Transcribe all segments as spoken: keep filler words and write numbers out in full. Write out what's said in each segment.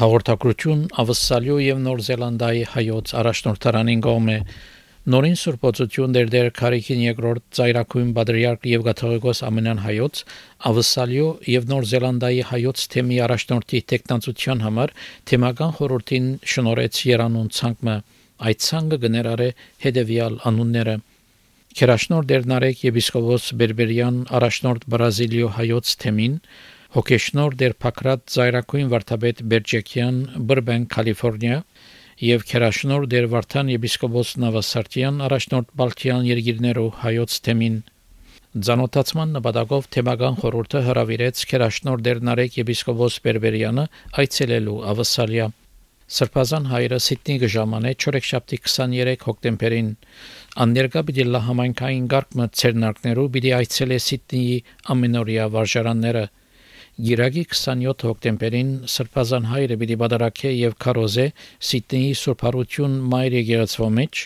Հաղորդակցություն Ավստրալիո եւ Նոր Զելանդիայի հայոց առաջնորդարանին կողմէ նորին սուրբոցություն դերդեր Քարիքին երկրորդ ծայրակույն Բադրիարք եւ Կաթողիկոս ամենան հայոց Ավստրալիո եւ Նոր Զելանդիայի հայոց թեմի առաջնորդի տեխնացության համար թեմական խորհրդին շնորհեց Երանուն ցանկը այդ ցանկը գներարե հետեւյալ անունները Քերաշնոր Դերնարեկ եպիսկոպոս Բերբերյան առաջնորդ Բրազիլիո հայոց թեմին Հոգեշնոր դեր Փակրատ Զայրակույն վարդապետ Բերջեկյան Բրբեն Կալիֆոռնիա եւ Քերաշնոր դեր Վարդան եպիսկոպոս Նավասարտյան առաջնորդ Բալթյան երկիրներու հայոց թեմին Ձանոթացման նպատակով թեմական խորհուրդը հրավիրեց Քերաշնոր դեր Նարեկ եպիսկոպոս Բերբերյանը այցելելու Ավստրալիա Սրբազան հայրը Սիդնի գժամանե չորեքշաբթի քսաներեք հոկտեմբերին Անդերգա պիտի լա համայնքային գարկմը ցերնակներու պիտի այցելե Սիդնիի ամենօրյա վարժարանները Գիրագի քսաներորդ հոկտեմբերին Սրբազան հայրը պիտի բادرակե եւ քարոզե Սիդնեի Սուրբ Հարություն Մայր եկեղեցվո մեջ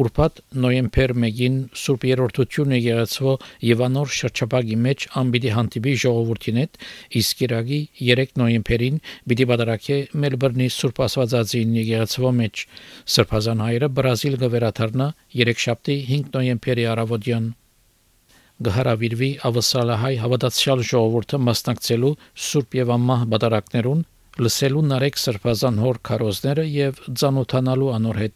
ուրբաթ նոյեմբեր մեկին Սուրբ Երորդություն եկեղեցվո եւ անոր շրջապագի մեջ անպիտի հանդիպի ժողովրդին հետ իսկ Գիրագի երեք նոյեմբերին պիտի բادرակե Մելբուրնի Սուրբ Աստվածածին եկեղեցվո մեջ Սրբազան հայրը Բրազիլ գվերաթարնա երեքշաբթի հինգ նոյեմբերի առավոտյան Գահարավիրվի ավսալահայ հավատացյալ ժողովուրդը մասնակցելու Սուրբ եւ Ամմահ բادرակներուն լսելու Նարեկ Սրբազան հոր քարոզները եւ ծանոթանալու անոր հետ